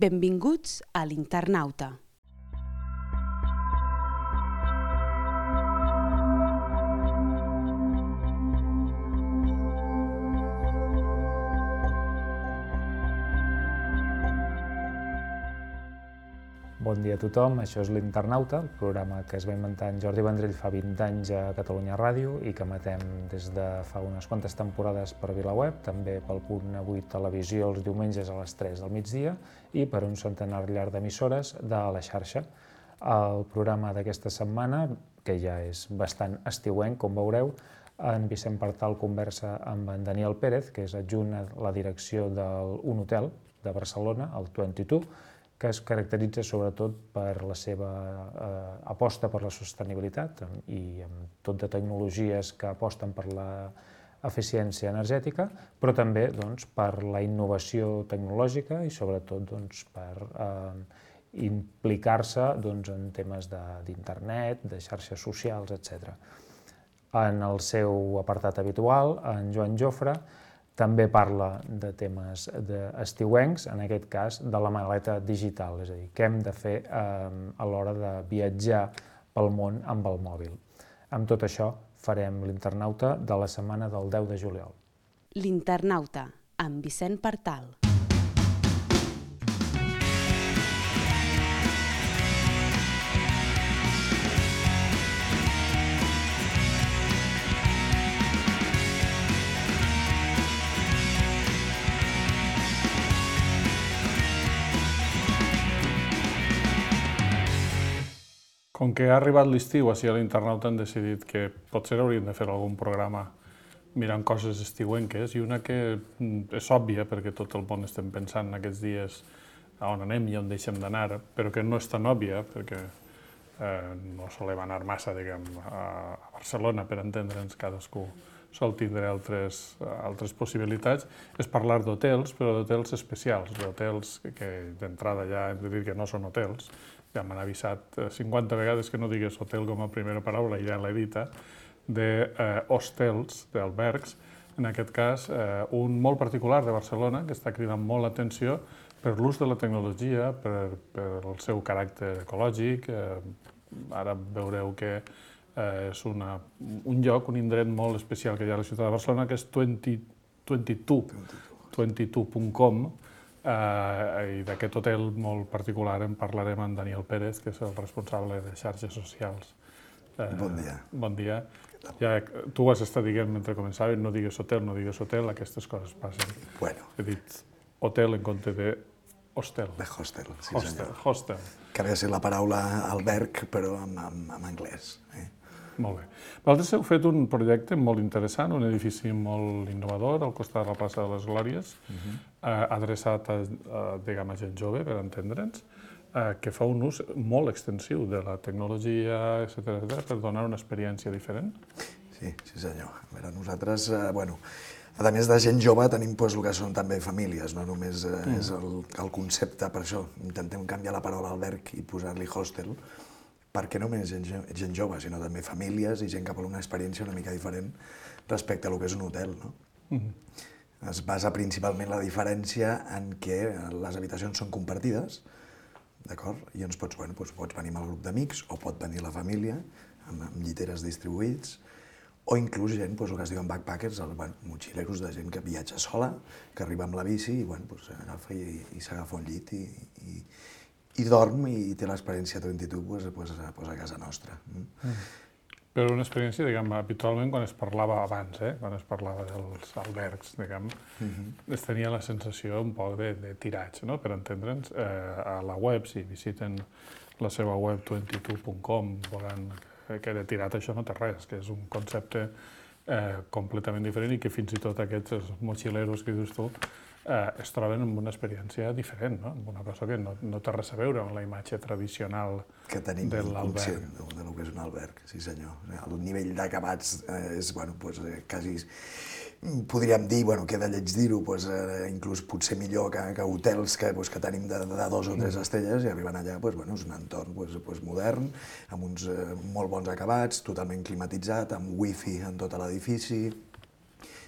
Benvinguts a l'Internauta. Bon dia a tothom, això és l'Internauta, el programa que es va inventar en Jordi Vendrell fa 20 anys a Catalunya Ràdio i que emetem des de fa unes quantes temporades per VilaWeb, també pel Punt Avui Televisió els diumenges a les 3 del migdia i per un centenar llarg d'emissores de la xarxa. El programa d'aquesta setmana, que ja és bastant estiuenc, com veureu, en Vicent Partal conversa amb en Daniel Pérez, que és adjunt a la direcció d'un hotel de Barcelona, el 22, que es caracteritza sobretot per la seva aposta per la sostenibilitat i amb tot de tecnologies que aposten per l'eficiència energètica, però també per la innovació tecnològica i sobretot per implicar-se en temes d'internet, de xarxes socials, etc. En el seu apartat habitual, en Joan Jofre també parla de temes estiuencs, en aquest cas de la maleta digital, és a dir, què hem de fer a l'hora de viatjar pel món amb el mòbil. Amb tot això farem l'Internauta de la setmana del 10 de juliol. L'Internauta, amb Vicent Partal. Com que ha arribat l'estiu, així a l'Internauta han decidit que potser hauríem de fer algun programa mirant coses estiuenques i una que és òbvia perquè tot el món estem pensant aquests dies a on anem i on deixem d'anar, però que no és tan òbvia perquè no solem anar massa, a Barcelona, per entendre'ns, cadascú sol tindre altres possibilitats, és parlar d'hotels, però d'hotels especials, d'hotels que d'entrada ja hem de dir que no són hotels. Ja m'han avisat 50 vegades que no digués hotel com a primera paraula, i ja l'he dita, d'hostels, d'albergs, en aquest cas un molt particular de Barcelona, que està cridant molt l'atenció per l'ús de la tecnologia, per el seu caràcter ecològic. Ara veureu que és un lloc, un indret molt especial que hi ha a la ciutat de Barcelona, que és 22.com, i d'aquest hotel molt particular en parlarem amb Daniel Pérez, que és el responsable de xarxes socials. Bon dia. Bon dia. Ja, tu has estat dient mentre començàvem, no digues hotel, aquestes coses passen. Bueno. He dit hotel en compte de hostel. De hostel, sí senyor. Hostel. Que ve a ser la paraula alberg, però en anglès. Molt bé. Vosaltres heu fet un projecte molt interessant, un edifici molt innovador al costat de la plaça de les Glòries, adreçat a gent jove, per entendre'ns, que fa un ús molt extensiu de la tecnologia, etc., per donar una experiència diferent. Sí senyor. A veure, nosaltres, a més de gent jove, tenim el que són també famílies, no només és el concepte, per això intentem canviar la paraula alberg i posar-li hostel, perquè no només gent jove, sinó també famílies i gent que vol una experiència una mica diferent respecte a el que és un hotel. Es basa principalment la diferència en què les habitacions són compartides, d'acord? I llavors pots venir amb el grup d'amics o pot venir la família amb lliteres distribuïts o inclús gent, el que es diuen backpackers, motxileros de gent que viatja sola, que arriba amb la bici i agafa i s'agafa un llit i dorm i té l'experiència 22 a casa nostra. Però una experiència, habitualment, quan es parlava abans, quan es parlava dels albergs, es tenia la sensació un poc de tiratge, per entendre'ns. A la web, si visiten la seva web 22.com, veuran que de tirat això no té res, que és un concepte completament diferent i que fins i tot aquests mochileros que dius tu es troben amb una experiència diferent, amb una cosa que no té res a veure amb la imatge tradicional de l'alberg. Que tenim inconscient del que és un alberg, sí senyor. El nivell d'acabats és, quasi, podríem dir, queda lleig dir-ho, inclús potser millor que hotels que tenim de 2 o 3 estrelles i arriben allà, és un entorn modern, amb uns molt bons acabats, totalment climatitzat, amb wifi en tot l'edifici.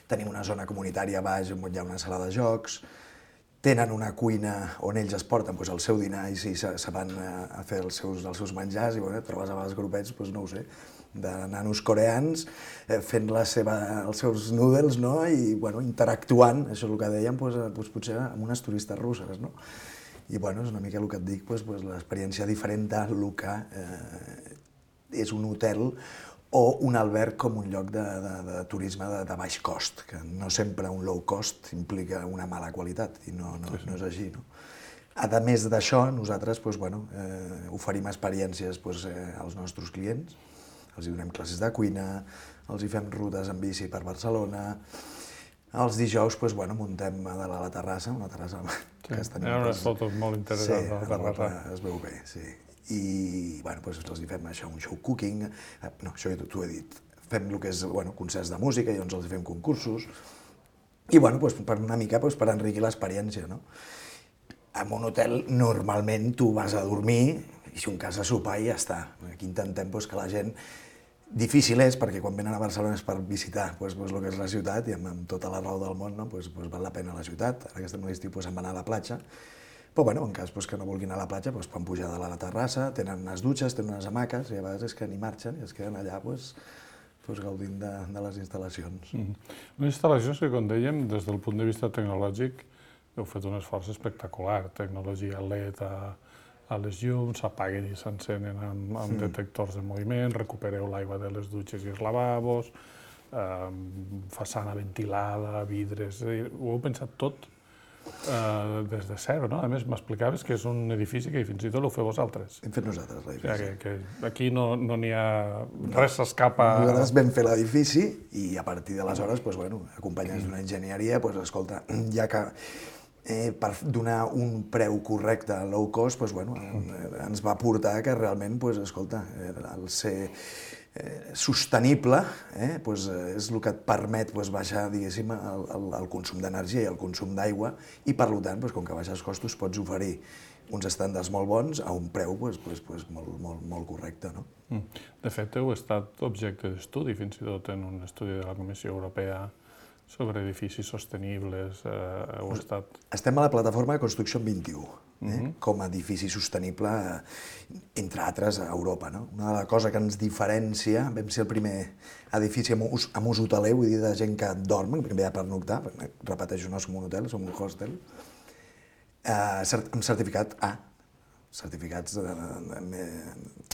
Tenim una zona comunitària a baix on hi ha una sala de jocs, tenen una cuina on ells es porten el seu dinar i se van a fer els seus menjars i et trobes a vegades grupets, no ho sé, de nanos coreans fent els seus noodles i interactuant, això és el que dèiem, potser amb unes turistes russes. I és una mica el que et dic, l'experiència diferent del que és un hotel o un alberg com un lloc de turisme de baix cost, que no sempre un low cost implica una mala qualitat, i no és així. A més d'això, nosaltres oferim experiències als nostres clients, els donem classes de cuina, els fem rutes en bici per Barcelona, els dijous muntem a dalt a la terrassa, una terrassa que hi ha unes fotos molt interessants a la terrassa. Es veu bé, sí. I els fem això, un show cooking, no, això ja t'ho he dit, fem el que és concerts de música i els fem concursos, i per una mica per enriquir l'experiència. En un hotel normalment tu vas a dormir i si un cas a sopar i ja està. Aquí intentem que la gent... Difícil és, perquè quan venen a Barcelona és per visitar el que és la ciutat i amb tota la raó del món val la pena la ciutat. Ara que estem a l'estiu se'n van anar a la platja, però en cas que no vulguin anar a la platja poden pujar a la terrassa, tenen unes dutxes, tenen unes hamaques i a vegades és que ni marxen i es queden allà gaudint de les instal·lacions. Unes instal·lacions que, com dèiem, des del punt de vista tecnològic heu fet un esforç espectacular, tecnologia LED a les llums, s'apaguen i s'encenen amb detectors de moviment, recupereu l'aigua de les dutxes i els lavabos, façana ventilada, vidres... Ho heu pensat tot des de zero, no? A més, m'explicaves que és un edifici que fins i tot ho feu vosaltres. Hem fet nosaltres l'edifici. Que aquí no n'hi ha... res s'escapa... Nosaltres vam fer l'edifici i a partir d'aleshores, acompanyats d'una enginyeria, escolta, ja que per donar un preu correcte a low cost, ens va portar que realment, escolta, el ser sostenible és el que et permet baixar, diguéssim, el consum d'energia i el consum d'aigua i, per tant, com que baixes costos, pots oferir uns estàndards molt bons a un preu molt correcte. De fet, heu estat objecte d'estudi, fins i tot en un estudi de la Comissió Europea sobre edificis sostenibles, heu estat... Estem a la plataforma de Construction 21, com a edifici sostenible, entre altres, a Europa. Una de les coses que ens diferencia, vam ser el primer edifici amb ús hoteler, vull dir, de gent que dorm, que ve a pernoctar, repeteixo, no som un hotel, som un hostel, amb certificat A, certificats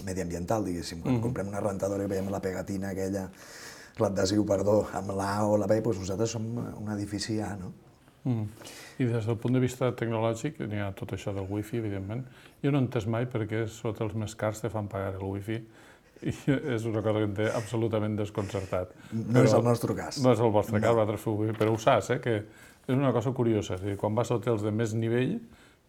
mediambiental, diguéssim. Quan comprem una rentadora i veiem la pegatina aquella, l'adhesiu, amb l'A o la B, nosaltres som un edifici A, no? I des del punt de vista tecnològic, n'hi ha tot això del wifi, evidentment. Jo no he entès mai per què sota els més cars te fan pagar el wifi i és una cosa que em té absolutament desconcertat. No és el nostre cas. No és el vostre cas, vosaltres feu wifi, però ho saps, que és una cosa curiosa. Quan vas a hotels de més nivell,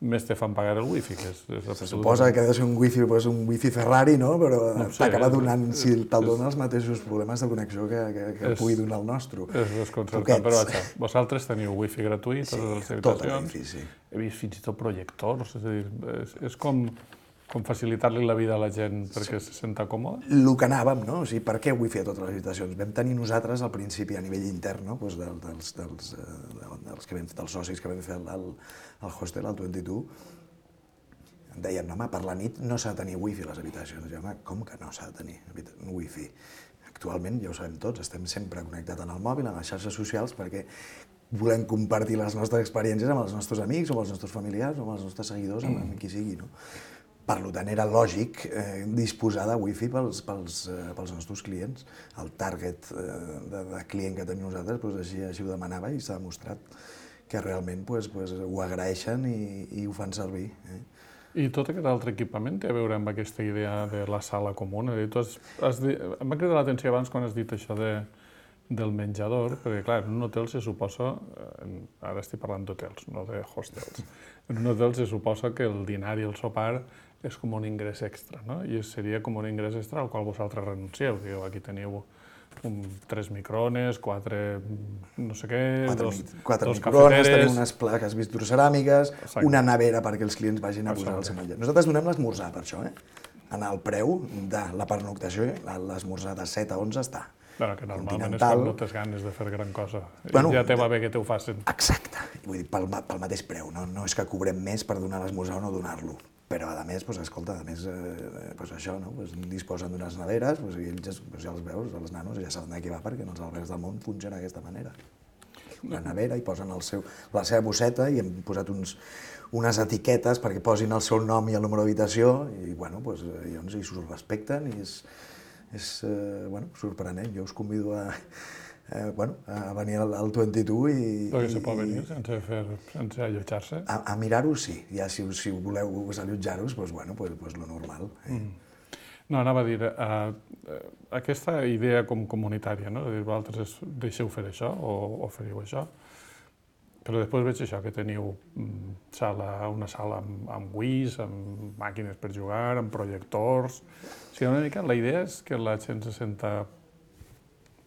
més te fan pagar el wifi, que és absolutament... Se suposa que ha de ser un wifi Ferrari, no? Però t'acaba donant, si te'l donen els mateixos problemes de connexió que pugui donar el nostre. És desconcertant, però vaja, vosaltres teniu wifi gratuït a les habitacions. Tot l'edifici. He vist fins i tot projectors, és a dir, és com facilitar-li la vida a la gent perquè se senta còmode? El que anàvem, no? O sigui, per què wifi a totes les habitacions? Vam tenir nosaltres al principi a nivell intern, no? Dels socis que vam fer al hostel, al 22, deien, home, per la nit no s'ha de tenir wifi a les habitacions. I home, com que no s'ha de tenir wifi? Actualment, ja ho sabem tots, estem sempre connectats en el mòbil, en les xarxes socials, perquè volem compartir les nostres experiències amb els nostres amics, amb els nostres familiars, amb els nostres seguidors, amb qui sigui, no? Per tant, era lògic disposar de wifi pels nostres clients. El target de client que tenim nosaltres així ho demanava i s'ha demostrat que realment ho agraeixen i ho fan servir. I tot aquest altre equipament té a veure amb aquesta idea de la sala comuna? Em va cridar l'atenció abans quan has dit això del menjador, perquè clar, en un hotel se suposa, ara estic parlant d'hotels, no de hostels, en un hotel se suposa que el dinar i el sopar és com un ingrés extra, no? I seria com un ingrés extra al qual vosaltres renuncieu. Digueu, aquí teniu 3 microones, 4 no sé què, 4 microones, tenim unes plaques vitroceràmiques, una nevera perquè els clients vagin a posar el seu menjar. Nosaltres donem l'esmorzar per això, En el preu de la pernoctació, l'esmorzar de 7 a 11 està. Però que normalment és continental. quan no tens ganes de fer gran cosa. Bueno, Ja te va bé que te ho facin. Exacte, vull dir, pel mateix preu, no és que cobrem més per donar l'esmorzar o no donar-lo, però a més, escolta, això, no? Disposen d'unes neveres, i ells ja els veus, els nanos ja saben de què va, perquè en els albergs del món funciona d'aquesta manera. Una nevera, hi posen la seva bosseta i hem posat unes etiquetes perquè posin el seu nom i el número d'habitació i, llavors s'ho respecten i és sorprenent. Jo us convido a venir al 22 i... Perquè se pot venir sense allotjar-se? A mirar-ho, sí. Ja si voleu allotjar-vos, doncs lo normal. No, anava a dir, aquesta idea com comunitària, no? De dir, vosaltres deixeu fer això o feriu això, però després veig això, que teniu una sala amb Wiis, amb màquines per jugar, amb projectors... O sigui, una mica la idea és que la gent se senta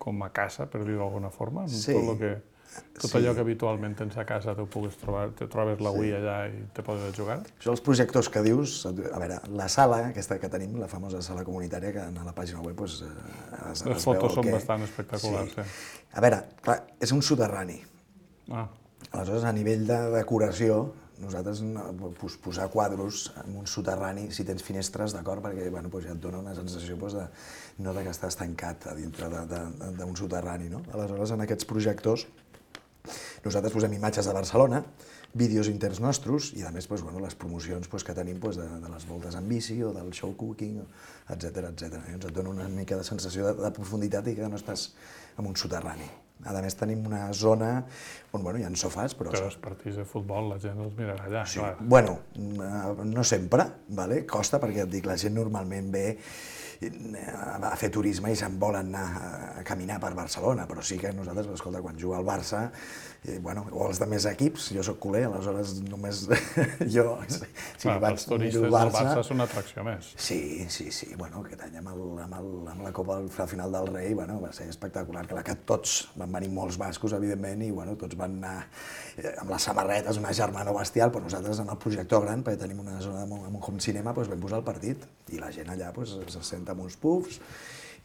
com a casa, per dir-ho d'alguna forma, amb tot allò que habitualment tens a casa te trobes la Wii allà i te podes jugar. Això els projectors que dius, a veure, la sala aquesta que tenim, la famosa sala comunitària, que a la pàgina web es veu les fotos són bastant espectaculars, sí. A veure, clar, és un soterrani. Aleshores, a nivell de decoració, nosaltres posar quadros en un soterrani, si tens finestres, d'acord, perquè ja et dona una sensació no que estàs tancat a dintre d'un soterrani, no? Aleshores, en aquests projectors, nosaltres posem imatges de Barcelona, vídeos interns nostres i, a més, les promocions que tenim de les voltes en bici o del show cooking, etcètera. Et dona una mica de sensació de profunditat i que no estàs en un soterrani. A més, tenim una zona on hi ha sofàs, però... Però els partits de futbol la gent els mirarà allà, clar. Bueno, no sempre, costa, perquè et dic, la gent normalment ve a fer turisme i se'n volen anar a caminar per Barcelona, però sí que nosaltres, escolta, quan juga al Barça, o els altres equips, jo soc culer, aleshores només jo... Els turistes del Barça són una atracció més. Sí, aquest any amb la Copa al final del Rei va ser espectacular, que tots van venir molts bascos, evidentment, i tots van anar amb les samarretes, una germana bestial, però nosaltres en el projector gran, perquè tenim una zona amb un home cinema, vam posar el partit, i la gent allà se senta amb uns pufs,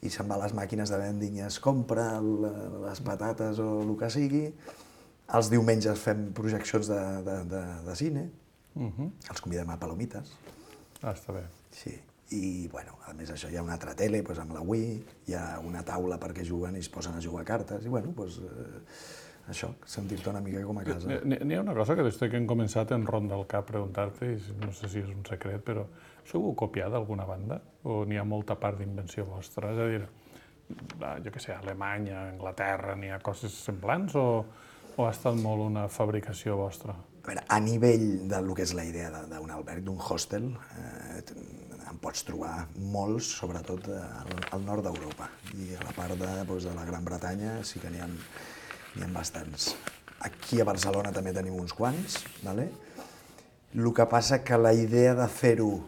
i se'n va a les màquines de vending i es compra les patates o el que sigui. Els diumenges fem projeccions de cine, els convidem a palomites. Està bé. Sí, i a més això hi ha una altra tele amb la Wii, hi ha una taula perquè juguen i es posen a jugar a cartes, i això, sentir-te una mica com a casa. N'hi ha una cosa que des que hem començat em ronda el cap preguntar-te, i no sé si és un secret, però això ho heu copiat d'alguna banda? O n'hi ha molta part d'invenció vostra? És a dir, jo què sé, a Alemanya, a Anglaterra, n'hi ha coses semblants o ha estat molt una fabricació vostra? A veure, a nivell del que és la idea d'un alberg, d'un hostel, en pots trobar molts, sobretot al nord d'Europa. I a la part de la Gran Bretanya sí que n'hi ha bastants. Aquí a Barcelona també tenim uns quants, el que passa que la idea de fer-ho,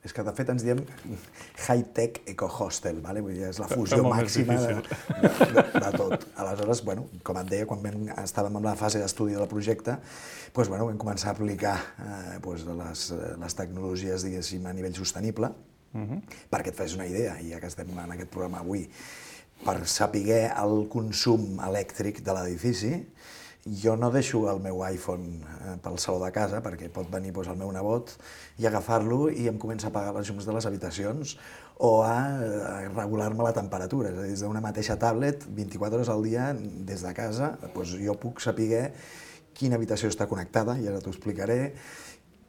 és que de fet ens diem high-tech eco-hostel, vull dir, és la fusió màxima de tot. Aleshores, com et deia, quan estàvem en la fase d'estudi del projecte, vam començar a aplicar les tecnologies, diguéssim, a nivell sostenible, perquè et fes una idea, i ja que estem en aquest programa avui, per saber el consum elèctric de l'edifici, jo no deixo el meu iPhone pel saló de casa perquè pot venir el meu nebot i agafar-lo i em comença a apagar les llums de les habitacions o a regular-me la temperatura. És a dir, des d'una mateixa tablet, 24 hores al dia, des de casa, jo puc saber quina habitació està connectada, i ara t'ho explicaré,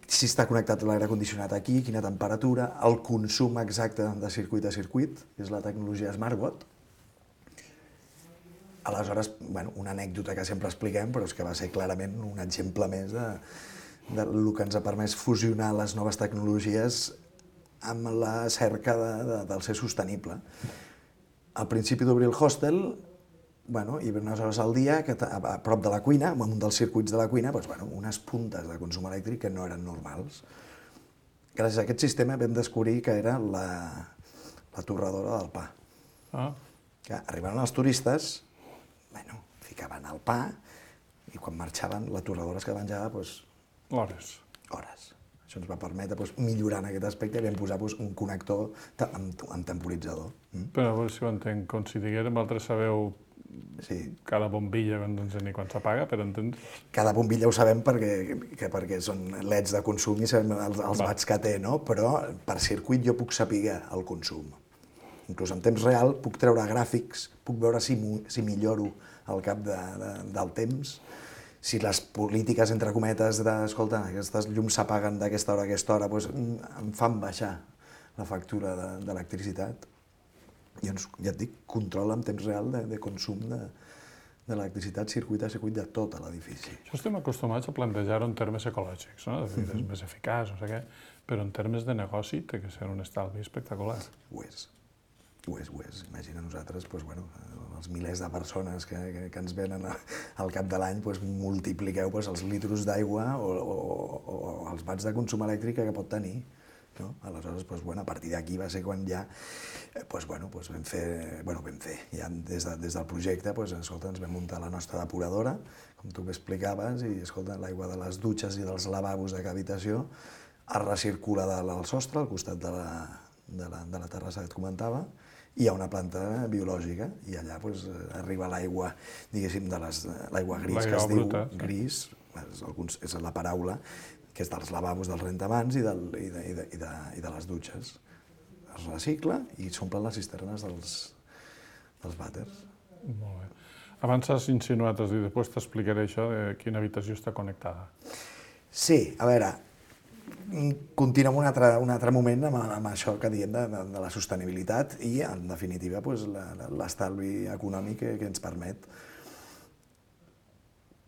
si està connectat l'aire condicionat aquí, quina temperatura, el consum exacte de circuit a circuit, que és la tecnologia SmartWatt. Aleshores, una anècdota que sempre expliquem, però és que va ser clarament un exemple més del que ens ha permès fusionar les noves tecnologies amb la cerca del ser sostenible. Al principi d'obrir el hostel, i unes hores al dia, a prop de la cuina, en un dels circuits de la cuina, unes puntes de consum elèctric que no eren normals. Gràcies a aquest sistema vam descobrir que era la torradora del pa. Que arribaven els turistes, ficaven el pa i quan marxaven la torradora es quedava penjada hores. Això ens va permetre millorar en aquest aspecte i vam posar un connector amb temporitzador. Però a veure si ho entenc, com si diguérem, vosaltres sabeu cada bombilla quan s'apaga, per entendre? Cada bombilla ho sabem perquè són leds de consum i sabem els watts que té, no? Però per circuit jo puc saber el consum. Inclús en temps real puc treure gràfics, puc veure si milloro al cap del temps, si les polítiques, entre cometes, escolta, aquestes llums s'apaguen d'aquesta hora a aquesta hora, em fan baixar la factura d'electricitat. I ja et dic, controla en temps real de consum d'electricitat circuit a circuit de tot l'edifici. Això estem acostumats a plantejar-ho en termes ecològics, no? És més eficaç, no sé què, però en termes de negoci té que ser un estalvi espectacular. Ho és. Imagina nosaltres, els milers de persones que ens venen al cap de l'any, multipliqueu els litros d'aigua o els watts de consum elèctric que pot tenir. Aleshores, a partir d'aquí va ser quan ja vam fer, ja des del projecte, ens vam muntar la nostra depuradora, com tu explicaves, i l'aigua de les dutxes i dels lavabos de cada habitació es recircula del sostre, al costat de la terrassa que et comentava, i hi ha una planta biològica, i allà arriba l'aigua, diguéssim, l'aigua gris, que es diu gris, és la paraula, que és dels lavabos, dels rentamans i de les dutxes. Es recicla i s'omplen les cisternes dels vàters. Molt bé. Abans has insinuat, has dit, després t'explicaré això de quina habitació està connectada. Sí, a veure, continuem un altre moment amb això que diem de la sostenibilitat i, en definitiva, l'estalvi econòmic que ens permet.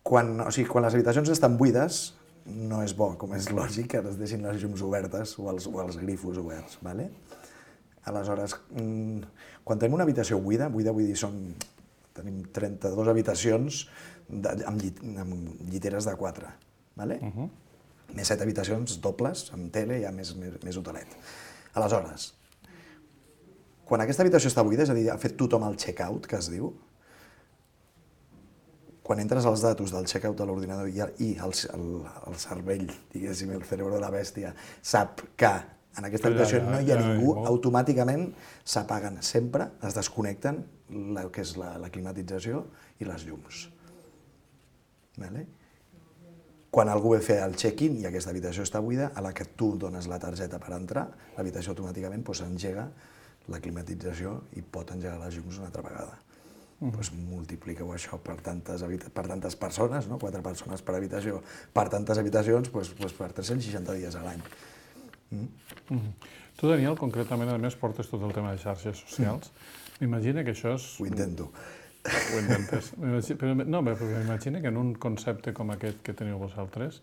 Quan les habitacions estan buides, no és bo, com és lògic, que es deixin les llums obertes o els grifos oberts. Aleshores, quan tenim una habitació buida vull dir, tenim 32 habitacions amb lliteres de 4, més 7 habitacions dobles, amb tele, ja més hotelet. Aleshores, quan aquesta habitació està buida, és a dir, ha fet tothom el check-out, que es diu, quan entres els datos del check-out de l'ordinador i el cervell, diguéssim, el cerebro de la bèstia, sap que en aquesta habitació no hi ha ningú, automàticament s'apaguen sempre, es desconnecten el que és la climatització i les llums. Quan algú ve a fer el check-in i aquesta habitació està buida, a la que tu dones la targeta per entrar, l'habitació automàticament engega la climatització i pot engegar les llums una altra vegada. Multipliqueu això per tantes persones, 4 persones per habitació, per tantes habitacions, per 360 dies a l'any. Tu, Daniel, concretament, a més, portes tot el tema de xarxes socials. M'imagina que això és... Ho intento. Ho intentes. No, però m'imagina que en un concepte com aquest que teniu vosaltres,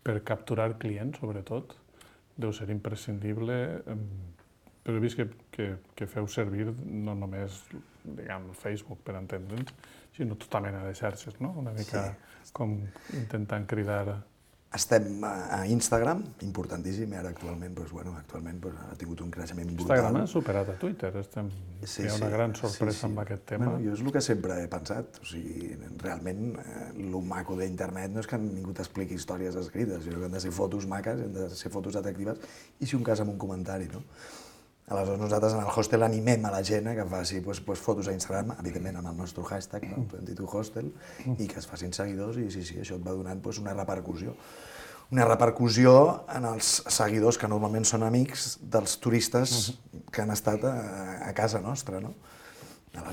per capturar clients, sobretot, deu ser imprescindible, però he vist que feu servir no només, diguem, Facebook, per entendre'ns, sinó tota mena de xarxes, no? Una mica com intentant cridar... Estem a Instagram, importantíssim, i ara actualment ha tingut un creixement brutal. Instagram ha superat a Twitter, hi ha una gran sorpresa amb aquest tema. Jo és el que sempre he pensat, realment el maco d'internet no és que ningú t'expliqui històries escrites, sinó que han de ser fotos maques, han de ser fotos atractives, i si un cas amb un comentari, no? Aleshores, nosaltres en el hostel animem a la gent que faci fotos a Instagram, evidentment amb el nostre hashtag, #hostel, i que es facin seguidors, i això et va donant una repercussió. Una repercussió en els seguidors que normalment són amics dels turistes que han estat a casa nostra, no?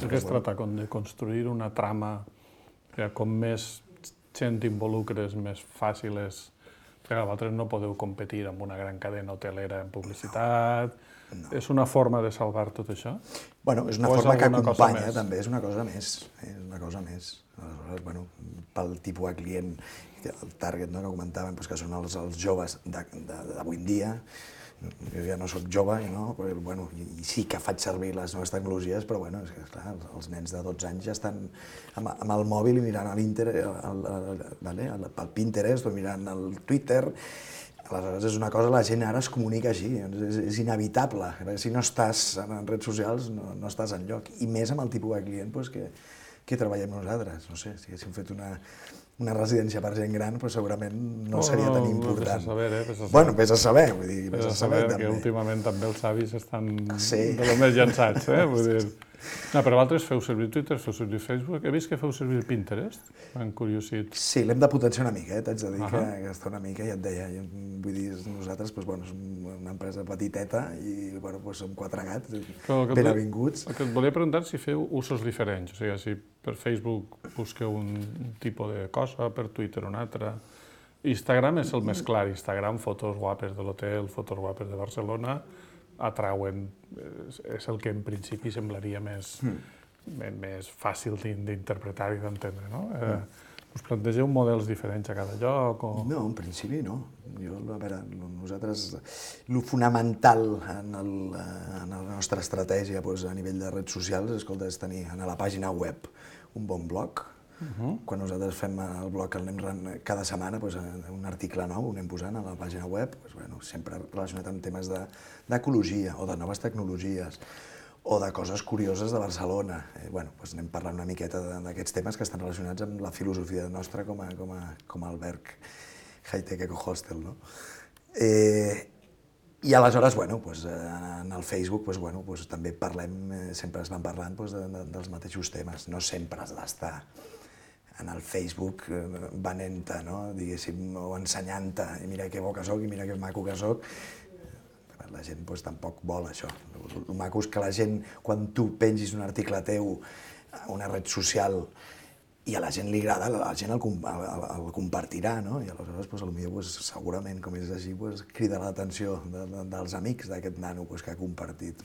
Que es tracta de construir una trama que com més gent involucres, més fàcil és. Perquè vosaltres no podeu competir amb una gran cadena hotelera en publicitat. És una forma de salvar tot això? Bueno, és una forma que acompanya, també, és una cosa més. Aleshores, pel tipus de client, el target que comentàvem, que són els joves d'avui en dia, jo ja no soc jove, i sí que faig servir les noves tecnologies, però és que, clar, els nens de 12 anys ja estan amb el mòbil i mirant el Pinterest o mirant el Twitter. Aleshores, és una cosa, la gent ara es comunica així, és inevitable. Si no estàs en redes socials, no estàs enlloc. I més amb el tipus de client que treballem nosaltres. No sé, si haguéssim fet una residència per gent gran, doncs segurament no seria tan important. Vés a saber, vés a saber. Bueno, vés a saber, vull dir, Vés a saber que últimament també els avis estan de lo més llançats, vull dir... No, però vosaltres feu servir Twitter, feu servir Facebook, he vist que feu servir Pinterest, m'han curiosit. Sí, l'hem de potenciar una mica, t'haig de dir que està una mica, ja et deia, vull dir, nosaltres, doncs, som una empresa petiteta i, bueno, doncs som 4 gats, ben avinguts. El que et volia preguntar si feu usos diferents, o sigui, si per Facebook busqueu un tipus de cosa, per Twitter un altre... Instagram és el més clar, Instagram, fotos guapes de l'hotel, fotos guapes de Barcelona, atrauen, és el que en principi semblaria més fàcil d'interpretar i d'entendre, no? Us plantegeu models diferents a cada lloc? No, en principi no. A veure, nosaltres, el fonamental en la nostra estratègia a nivell de redes socials és tenir a la pàgina web un bon blog. Quan nosaltres fem el blog que anem cada setmana, un article nou, ho anem posant a la pàgina web, sempre relacionat amb temes d'ecologia o de noves tecnologies o de coses curioses de Barcelona. Anem parlant una miqueta d'aquests temes que estan relacionats amb la filosofia nostra com a alberg high-tech eco-hostel. I aleshores, en el Facebook també sempre es van parlant dels mateixos temes, no sempre has d'estar en el Facebook venent-te, diguéssim, o ensenyant-te, i mira que bo que soc, i mira que maco que soc. La gent tampoc vol això. El maco és que la gent, quan tu pengis un article teu a una red social i a la gent li agrada, la gent el compartirà, i aleshores potser segurament, com és així, crida l'atenció dels amics d'aquest nano que ha compartit.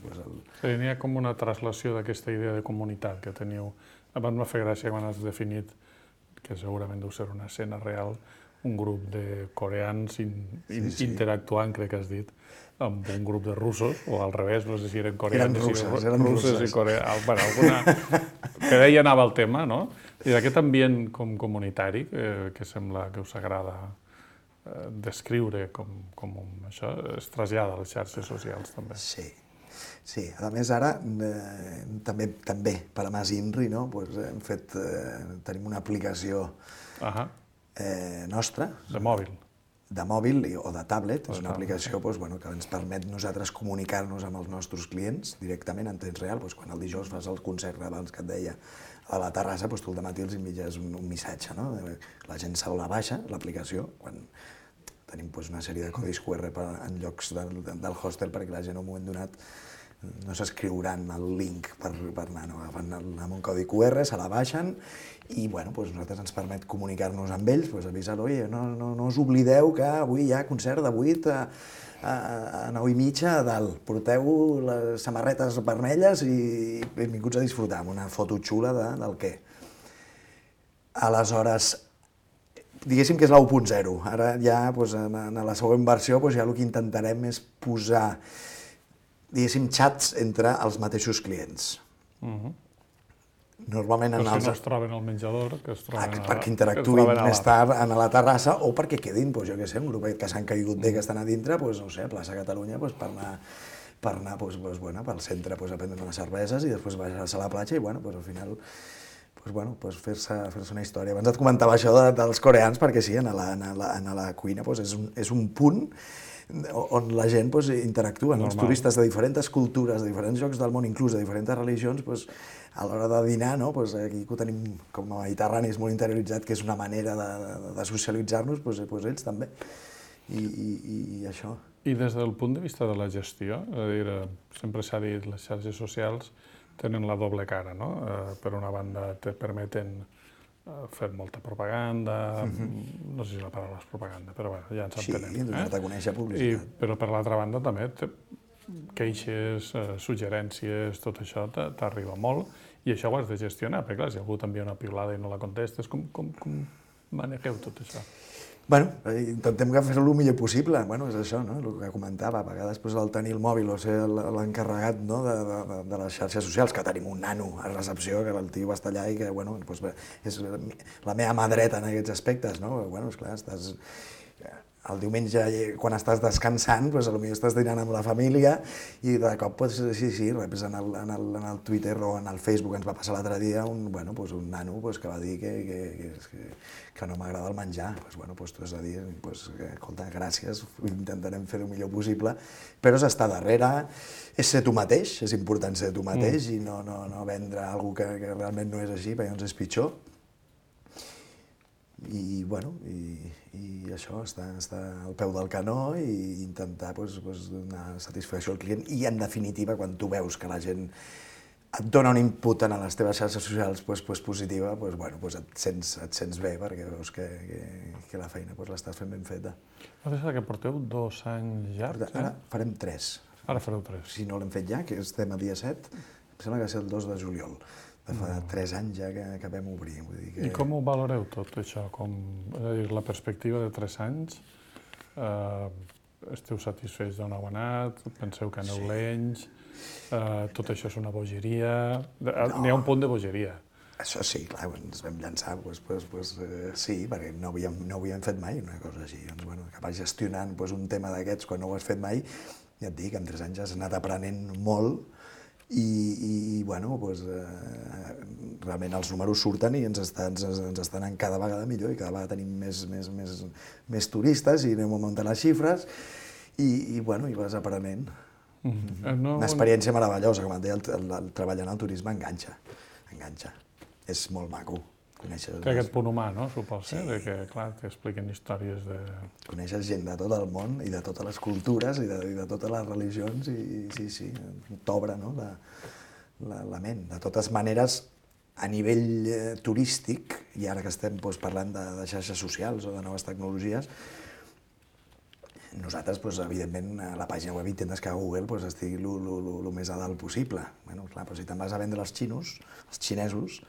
N'hi ha com una translació d'aquesta idea de comunitat que teniu. Abans m'ha fet gràcia quan has definit que segurament deu ser una escena real, un grup de coreans interactuant, crec que has dit, amb un grup de russos, o al revés, no sé si eren coreans russes i coreans, que d'ahir anava el tema, no? I d'aquest ambient com comunitari, que sembla que us agrada descriure com això, es trasllada a les xarxes socials també. Sí, a més ara també per a Mas Inri tenim una aplicació nostra. De mòbil. De mòbil o de tablet, és una aplicació que ens permet nosaltres comunicar-nos amb els nostres clients directament en temps real. Quan el dijous fas el concert abans que et deia a la terrassa, tu al dematí els envies un missatge. La gent se la baixa, l'aplicació, quan tenim una sèrie de codis QR en llocs del hostel perquè la gent en un moment donat no s'escriuran el link per anar, agafen amb un codi QR, se la baixen i nosaltres ens permet comunicar-nos amb ells, avisar-lo, no us oblideu que avui hi ha concert de 8 a 9:30 a dalt, porteu les samarretes vermelles i benvinguts a disfrutar, amb una foto xula del què. Aleshores, diguéssim que és la 1.0, ara ja en la següent versió ja el que intentarem és posar diguéssim, xats entre els mateixos clients. Normalment si no es troben al menjador, que es troben perquè interactuïn més tard a la terrassa o perquè quedin, jo què sé, un grupet que s'han caigut bé, que estan a dintre, no sé, a Plaça Catalunya, per anar pel centre a prendre unes cerveses i després baixar-se a la platja i, al final, fer-se una història. Abans et comentava això dels coreans, perquè sí, a la cuina és un punt on la gent interactua, els turistes de diferents cultures, de diferents llocs del món, inclús de diferents religions, a l'hora de dinar, aquí que ho tenim com a mediterranis molt interioritzat, que és una manera de socialitzar-nos, ells també. I això. I des del punt de vista de la gestió, sempre s'ha dit, les xarxes socials tenen la doble cara, no? Per una banda, te permeten fer molta propaganda, no sé si la paraula és propaganda, però ja ens entenem. Sí, donar-te a conèixer publicitat. Però per l'altra banda també queixes, suggerències, tot això t'arriba molt i això ho has de gestionar, perquè clar, si algú t'envia una piulada i no la contestes, com manegeu tot això? Intentem fer-ho el millor possible, és això, el que comentava, a vegades el tenir el mòbil o ser l'encarregat de les xarxes socials, que tenim un nano a recepció, que el tio està allà i que és la meva mà dreta en aquests aspectes, esclar, el diumenge, quan estàs descansant, potser estàs dinant amb la família i de cop, sí, reps en el Twitter o en el Facebook, ens va passar l'altre dia, un nano que va dir que no m'agrada el menjar. Tu has de dir, escolta, gràcies, intentarem fer el millor possible, però és estar darrere, és ser tu mateix, és important ser tu mateix i no vendre alguna cosa que realment no és així, perquè llavors és pitjor. I això, està al peu del canó i intentar donar satisfacció al client i, en definitiva, quan tu veus que la gent et dona un input a les teves xarxes socials positiva, et sents bé perquè veus que la feina l'estàs fent ben feta. Nosaltres que porteu 2 anys llargs, Ara farem 3. Ara fareu 3. Si no l'hem fet ja, que estem a dia 7, em sembla que va ser el 2 de juliol. De fa 3 anys ja que vam obrir. I com ho valoreu tot això? És a dir, la perspectiva de 3 anys, esteu satisfets d'on heu anat? Penseu que aneu lents? Tot això és una bogeria? N'hi ha un punt de bogeria. Això sí, clar, quan ens vam llançar, sí, perquè no havíem fet mai una cosa així. Acabar gestionant un tema d'aquests quan no ho has fet mai, ja et dic, en 3 anys has anat aprenent molt i realment els números surten i ens estan anant cada vegada millor i cada vegada tenim més turistes i anem augmentant les xifres i vas aprenent. Una experiència meravellosa, com et deia, el treballar en el turisme enganxa. És molt maco. Té aquest punt humà, no? Suposa, que, clar, t'expliquen històries de... Coneixes gent de tot el món i de totes les cultures i de totes les religions i sí, t'obre la ment. De totes maneres, a nivell turístic, i ara que estem parlant de xarxes socials o de noves tecnologies, nosaltres, evidentment, a la pàgina web intentes que a Google estigui el més a dalt possible. Clar, però si te'n vas a vendre als xinesos,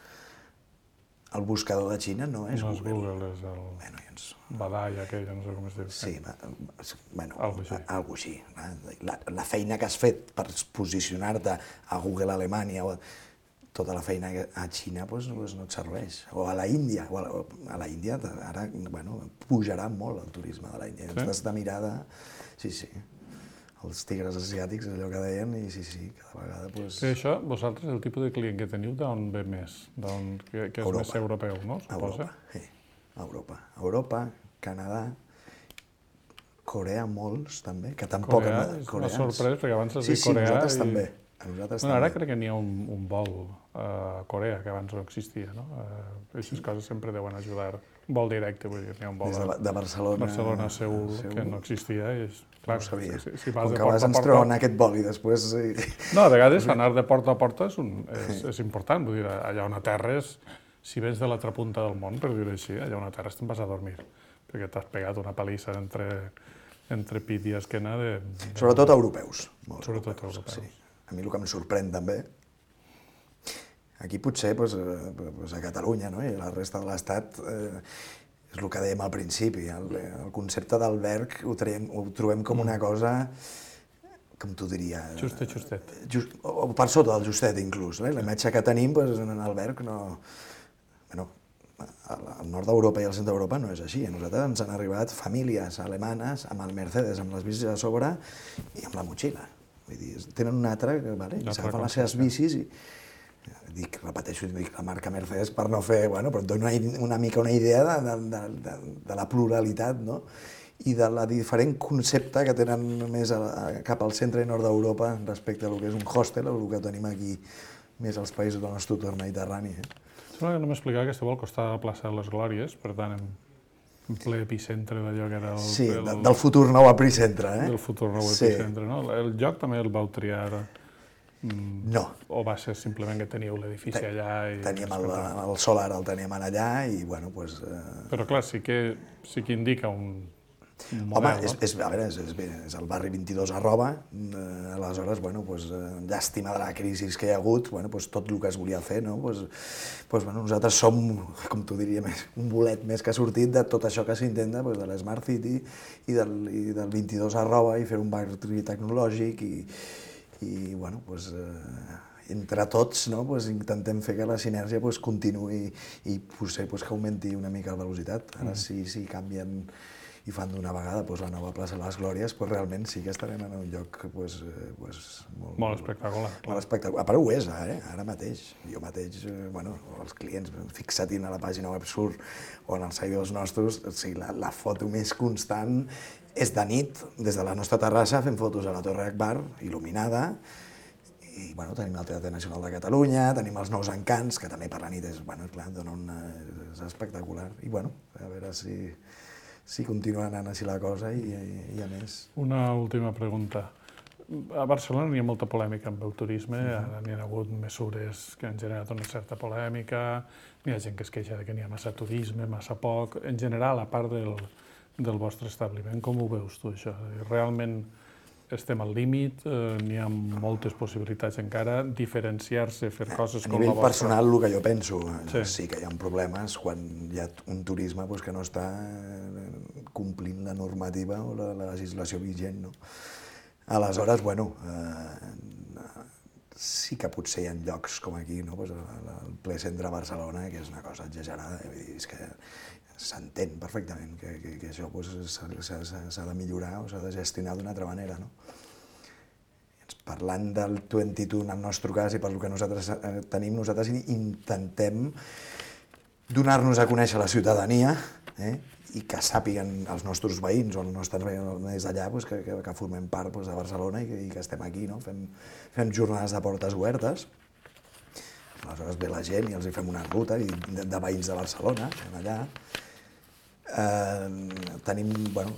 el buscador de Xina no és Google. No és Google, és el Badai aquell, no sé com es diu. Sí, algo així. La feina que has fet per posicionar-te a Google Alemanya, tota la feina a Xina no et serveix. O a la Índia. A la Índia ara pujarà molt el turisme de la Índia. Has de mirar de... Sí. Els tigres asiàtics, allò que deien, i sí, cada vegada... I això, vosaltres, el tipus de client que teniu, d'on ve més? Que és més europeu, no? Europa, sí. Europa, Canadà, Corea, molts, també, que tampoc... Corea, m'ha sorprès, perquè abans has dit Corea... Sí, nosaltres també. Ara crec que n'hi ha un vol a Corea, que abans no existia, no? Aquestes coses sempre deuen ajudar. Un vol directe, vull dir, n'hi ha un vol de Barcelona a Seül, que no existia, i clar, no ho sabia. Si vas com de que vas ens treuen aquest vol i després... No, a vegades anar de porta a porta és important, vull dir, allà on aterres, si vens de l'altra punta del món, per dir-ho així, allà on aterres te'n vas a dormir, perquè t'has pegat una palissa entre pit i esquena de... Sobretot europeus. Sobretot europeus. Sí. A mi el que em sorprèn també, aquí potser a Catalunya i a la resta de l'Estat, és el que dèiem al principi, el concepte d'alberg ho trobem com una cosa, com t'ho diria... Justet. O per sota del justet, inclús. La imatge que tenim en alberg no... Al nord d'Europa i al centre d'Europa no és així. A nosaltres ens han arribat famílies alemanes amb el Mercedes, amb les bicis a sobre i amb la motxilla. Vull dir, tenen un altre, s'agafen les seves bicis i... Repeteixo, la marca Mercedes per no fer... Però et dona una mica una idea de la pluralitat, no? I de la diferent concepte que tenen més cap al centre i nord d'Europa respecte a lo que és un hostel o el que tenim aquí més als països del nostre entorn mediterrani. Sembla que no m'explicava que esteu al costat de la plaça de les Glòries, per tant, en ple epicentre d'allò que era el... Sí, del futur nou epicentre, Del futur nou epicentre, no? El lloc també el vau triar... No. O va ser simplement que teníeu l'edifici allà i... Teníem el solar, el teníem allà i, Però clar, sí que indica un model, no? És el barri 22 arroba, aleshores, llàstima de la crisi que hi ha hagut, tot el que es volia fer, no? Nosaltres som, com t'ho diria, un bolet més que ha sortit de tot això que s'intenta, de l'Smart City i del 22 arroba i fer un barri tecnològic i entre tots intentem fer que la sinergia continuï i potser que augmenti una mica la velocitat. Ara sí canvien i fan d'una vegada la nova plaça de les Glòries, realment sí que estarem en un lloc molt espectacular. Molt espectacular. A part ho és, ara mateix. Jo mateix, els clients, fixa't-hi a la pàgina web surt o en els seguidors nostres, la foto més constant és de nit, des de la nostra terrassa, fem fotos a la Torre Akbar, il·luminada, i tenim el Teatre Nacional de Catalunya, tenim els Nous Encants, que també per la nit és espectacular. I a veure si continua anant així la cosa i a més. Una última pregunta. A Barcelona hi ha molta polèmica amb el turisme, ara n'hi ha hagut mesures que han generat una certa polèmica, hi ha gent que es queixa que n'hi ha massa turisme, massa poc. En general, a part del vostre establiment, com ho veus tu, això? Realment estem al límit, n'hi ha moltes possibilitats encara, diferenciar-se, fer coses com la vostra. A nivell personal, el que jo penso, sí que hi ha problemes quan hi ha un turisme que no està complint la normativa o la legislació vigent. Aleshores, sí que potser hi ha llocs com aquí, el ple centre de Barcelona, que és una cosa exagerada, és que s'entén perfectament que això s'ha de millorar o s'ha de gestionar d'una altra manera. Parlant del 22 en el nostre cas i pel que nosaltres tenim, nosaltres intentem donar-nos a conèixer a la ciutadania i que sàpiguen els nostres veïns o els nostres veïns d'allà que formem part de Barcelona i que estem aquí. Fem jornades de portes obertes, aleshores ve la gent i els fem una ruta de veïns de Barcelona, allà.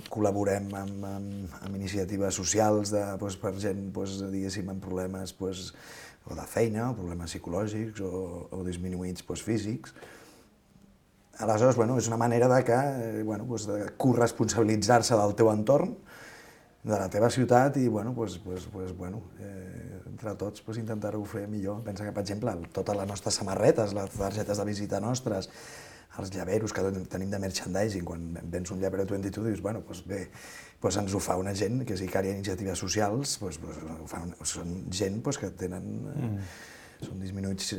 Col·laborem amb iniciatives socials per gent, diguéssim, amb problemes o de feina, o problemes psicològics o disminuïts físics. Aleshores, és una manera de corresponsabilitzar-se del teu entorn, de la teva ciutat i, entre tots, intentar-ho fer millor. Pensa que, per exemple, totes les nostres samarretes, les targetes de visita nostres, els llaveros que tenim de merchandising, quan vens un llavero 22 dius, bé, ens ho fa una gent, que és Icària Iniciatives Socials, són gent que tenen... són disminuïts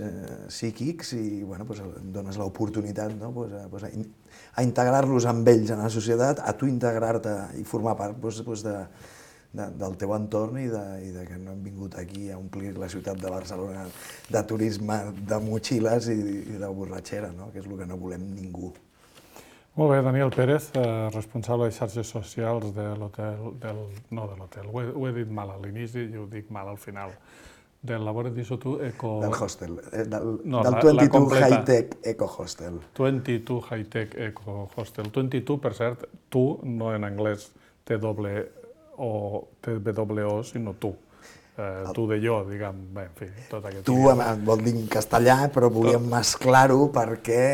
psíquics i dones l'oportunitat a integrar-los amb ells en la societat, a tu integrar-te i formar part del teu entorn i que no hem vingut aquí a omplir la ciutat de Barcelona de turisme, de motxilles i de borratxera, que és el que no volem ningú. Molt bé, Daniel Pérez, responsable de xarxes socials de l'hotel, no de l'hotel, ho he dit mal a l'inici i ho dic mal al final, del Laboratory Eco... Del hostel, del 22 High-Tech Eco Hostel. 22 High-Tech Eco Hostel. 22, per cert, tu, no en anglès TWO, sinó tu. Tu de jo, diguem, bé, en fi, tot aquest... Tu vol dir en castellà, però volíem mesclar-ho perquè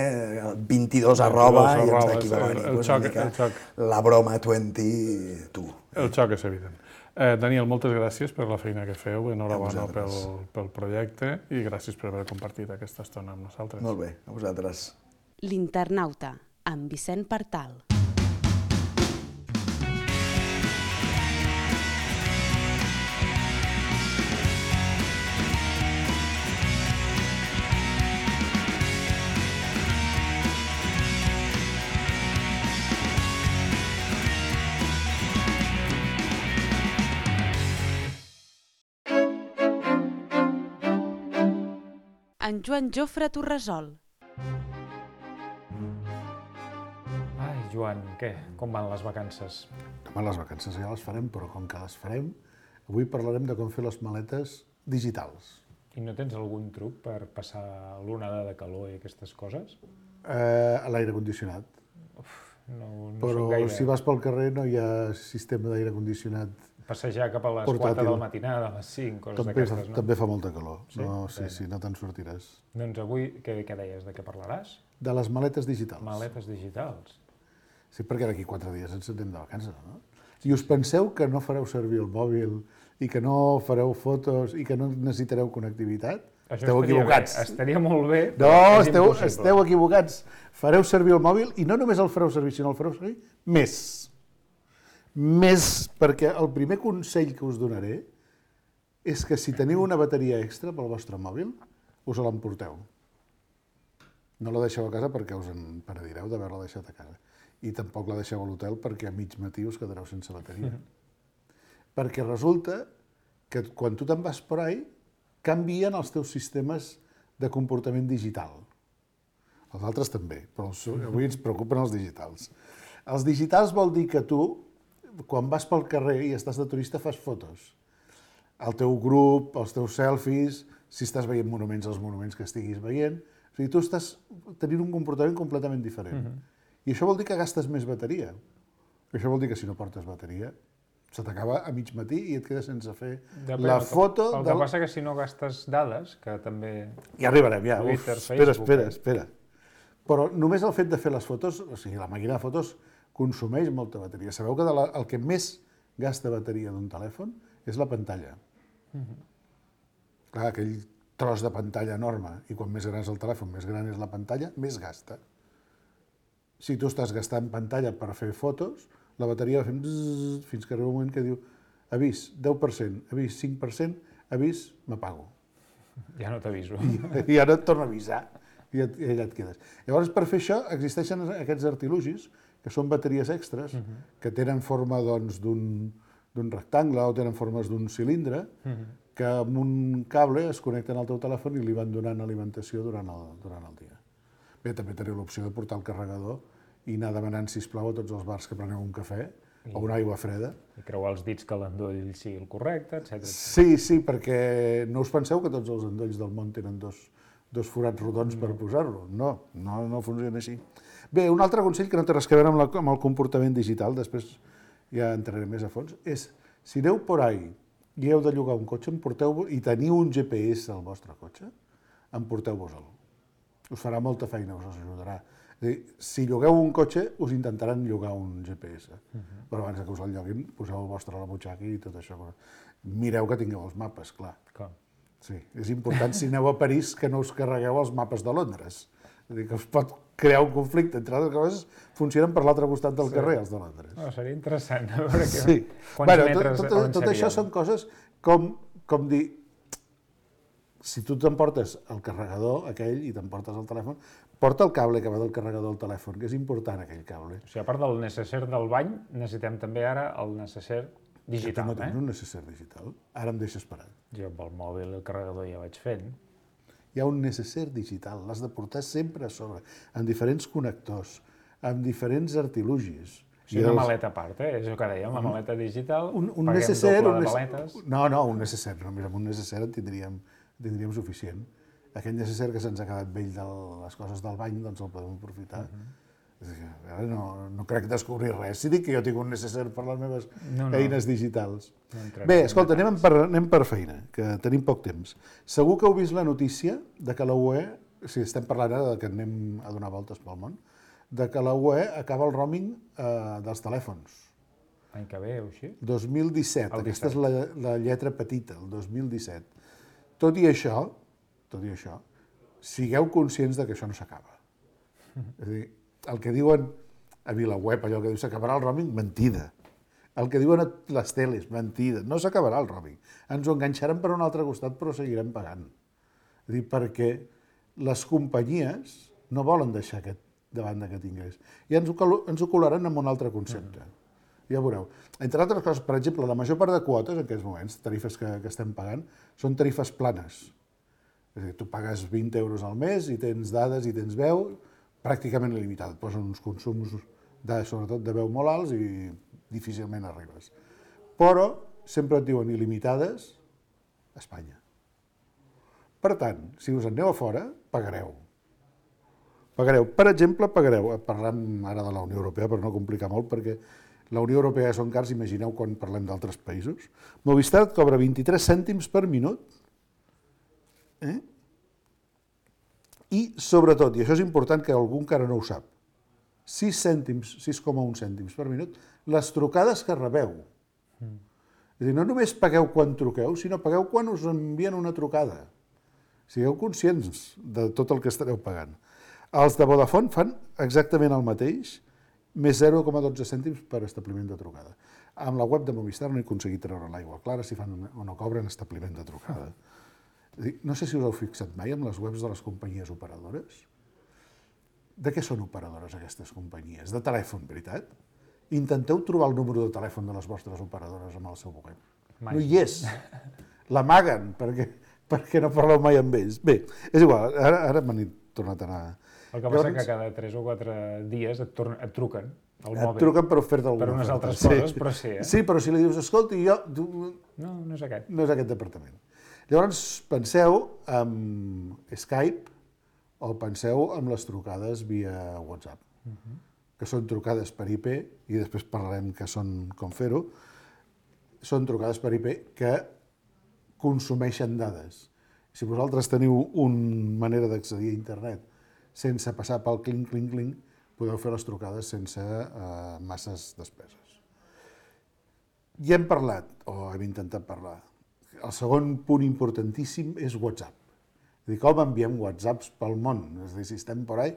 el 22 arroba i ens d'aquí va venir una mica la broma 20 tu. El xoc és evident. Daniel, moltes gràcies per la feina que feu, enhorabona pel projecte i gràcies per haver compartit aquesta estona amb nosaltres. Molt bé, a vosaltres. L'Internauta, amb Vicent Partal. En Joan Jofre Torresol. Ai, Joan, què? Com van les vacances? Home, les vacances ja les farem, però com que les farem, avui parlarem de com fer les maletes digitals. I no tens algun truc per passar l'onada de calor i aquestes coses? A l'aire condicionat. No però si vas pel carrer no hi ha sistema d'aire condicionat. Passejar cap a les 4 de la matinada, a les 5, coses d'aquestes, no? També fa molta calor. Sí, no te'n sortiràs. Doncs avui, què deies? De què parlaràs? De les maletes digitals. Maletes digitals. Sí, perquè d'aquí 4 dies ens anem de vacances, no? Si us penseu que no fareu servir el mòbil i que no fareu fotos i que no necessitareu connectivitat, esteu equivocats. Estaria molt bé, però és impossible. Esteu equivocats. Fareu servir el mòbil i no només el fareu servir, sinó el fareu servir més. Més, perquè el primer consell que us donaré és que si teniu una bateria extra pel vostre mòbil, us l'emporteu. No la deixeu a casa perquè us en penedireu d'haver-la deixat a casa. i tampoc la deixeu a l'hotel perquè a mig matí us quedareu sense bateria. Perquè resulta que quan tu te'n vas per ahí, canvien els teus sistemes de comportament digital. Els altres també, però avui ens preocupen els digitals. Els digitals vol dir que tu, quan vas pel carrer i estàs de turista, fas fotos. El teu grup, els teus selfies, si estàs veient monuments, els monuments que estiguis veient. O sigui, tu estàs tenint un comportament completament diferent. I això vol dir que gastes més bateria. Això vol dir que si no portes bateria, se t'acaba a mig matí i et quedes sense fer la foto... El que passa que si no gastes dades, que també... Ja arribarem, ja. Twitter, Espera. Però només el fet de fer les fotos, o sigui, la màquina de fotos consumeix molta bateria. Sabeu que el que més gasta bateria d'un telèfon és la pantalla. Clar, aquell tros de pantalla enorme, i quan més gran és el telèfon, més gran és la pantalla, més gasta. Si tu estàs gastant pantalla per fer fotos, la bateria va fent bzzz, fins que arriba un moment que diu avís 10%, avís 5%, avís, m'apago. Ja no t'aviso. I ara et torna a avisar i allà et quedes. Llavors, per fer això, existeixen aquests artilugis, que són bateries extres, que tenen forma d'un rectangle o tenen formes d'un cilindre, que amb un cable es connecten al teu telèfon i li van donant alimentació durant el dia. Bé, també teniu l'opció de portar el carregador i anar demanant, sisplau, a tots els bars que preneu un cafè o una aigua freda. I creuar els dits que l'endoll sigui el correcte, etc. Sí, perquè no us penseu que tots els endolls del món tenen dos forats rodons per posar-lo. No funciona així. Bé, un altre consell que no té res a veure amb el comportament digital, després ja entraré més a fons, és si aneu por ahí i heu de llogar un cotxe, i teniu un GPS al vostre cotxe, emporteu-vos-el. Us farà molta feina, us ajudarà. És a dir, si llogueu un cotxe, us intentaran llogar un GPS. Però abans que us el lloguin, poseu el vostre a la butxaca i tot això. Mireu que tingueu els mapes, clar. Sí, és important, si aneu a París, que no us carregueu els mapes de Londres. És a dir, que us pot crear un conflicte. Entre altres coses, funcionen per l'altre costat del carrer, els de Londres. Seria interessant. A veure quants metres tot això són coses com dir, si tu t'emportes el carregador aquell i t'emportes el telèfon, porta el cable que va del carregador al telèfon, que és important aquell cable. O sigui, a part del necesser del bany, necessitem també ara el necesser digital. No tens un necesser digital? Ara em deixes parat. Jo amb el mòbil i el carregador ja vaig fent. Hi ha un necesser digital, l'has de portar sempre a sobre, amb diferents connectors, amb diferents artilugis. O sigui, una maleta a part, és el que dèiem, la maleta digital, paguem necesser, doble de maletes. No, un necesser, només amb un necesser en tindríem suficient. Aquell necesser que se'ns ha quedat vell de les coses del bany, doncs el podem aprofitar. Ara no crec descobrir res. Si dic que jo tinc un necesser per les meves eines digitals. Bé, escolta, anem per feina, que tenim poc temps. Segur que heu vist la notícia de que la UE, si estem parlant ara que anem a donar voltes pel món, de que la UE acaba el roaming dels telèfons. L'any que ve o així? 2017, aquesta és la lletra petita, el 2017. Tot i això, sigueu conscients de que això no s'acaba. És a dir, el que diuen a VilaWeb, allò que diu s'acabarà el roaming, mentida. El que diuen a les teles, mentida. No s'acabarà el roaming. Ens ho enganxaran per un altre costat, però seguirem pagant. És a dir, perquè les companyies no volen deixar davant d'aquest ingrés. I ens ho colaran amb un altre concepte. Ja veureu. Entre altres coses, per exemple, la major part de quotes en aquests moments, tarifes que estem pagant, són tarifes planes. És a dir, tu pagues 20 euros al mes i tens dades i tens veu pràcticament il·limitat. Et posen uns consums, sobretot de veu molt alts i difícilment arribes. Però sempre et diuen il·limitades a Espanya. Per tant, si us en aneu a fora, pagareu. Per exemple, parlem ara de la Unió Europea per no complicar molt, perquè la Unió Europea són cars, imagineu quan parlem d'altres països. Movistar et cobra 23 cèntims per minut. I, sobretot, i això és important que algú encara no ho sap, 6,1 cèntims per minut, les trucades que rebeu. És a dir, no només pagueu quan truqueu, sinó pagueu quan us envien una trucada. Sigueu conscients de tot el que estareu pagant. Els de Vodafone fan exactament el mateix, més 0,12 cèntims per establiment de trucada. Amb la web de Movistar no he aconseguit treure l'aigua clara si fan o no cobren establiment de trucada. No sé si us heu fixat mai amb les webs de les companyies operadores. De què són operadores aquestes companyies? De telèfon, veritat? Intenteu trobar el número de telèfon de les vostres operadores amb el seu web. No hi és. L'amaguen perquè no parleu mai amb ells. Bé, és igual, ara m'han tornat a anar... El que passa és que cada 3 o 4 dies et truquen al mòbil. Et truquen per oferta alguna per unes oferta. altres coses, però sí, Sí, però si li dius, escolti, jo... No, no és aquest. No és aquest departament. Llavors, penseu en Skype o penseu en les trucades via WhatsApp, que són trucades per IP, i després parlarem que són com fer-ho, són trucades per IP que consumeixen dades. Si vosaltres teniu una manera d'accedir a internet sense passar pel clinc, clinc, clinc, podeu fer les trucades sense masses despeses. Ja hem parlat, o hem intentat parlar, el segon punt importantíssim és WhatsApp. És a dir, com enviem WhatsApps pel món? És a dir, si estem por ahí,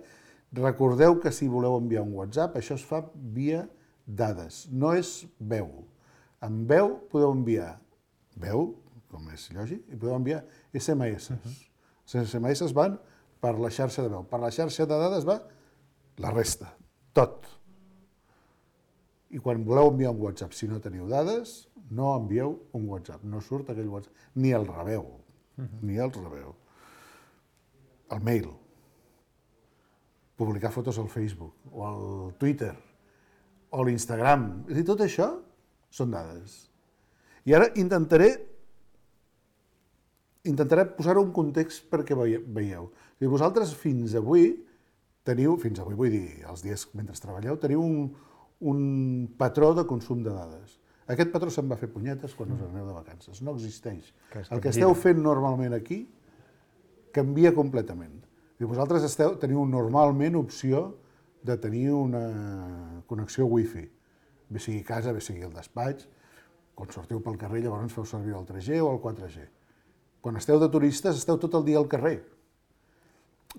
recordeu que si voleu enviar un WhatsApp, això es fa via dades, no és veu. Amb veu podeu enviar veu, com és lògic, i podeu enviar SMS. Els SMS van per la xarxa de veu. Per la xarxa de dades va la resta, tot. I quan voleu enviar un WhatsApp, si no teniu dades, no envieu un WhatsApp, no surt aquell WhatsApp, ni el rebeu, ni el rebeu. El mail, publicar fotos al Facebook, o al Twitter, o a l'Instagram, és a dir, tot això són dades. I ara intentaré posar-ho en context perquè veieu. Si vosaltres fins avui vull dir, els dies mentre treballeu, teniu un patró de consum de dades. Aquest patró se'n va fer punyetes quan us aneu de vacances, no existeix. El que esteu fent normalment aquí canvia completament. I vosaltres teniu normalment opció de tenir una connexió wifi, bé sigui a casa, bé sigui al despatx. Quan sortiu pel carrer llavors feu servir el 3G o el 4G. Quan esteu de turistes esteu tot el dia al carrer.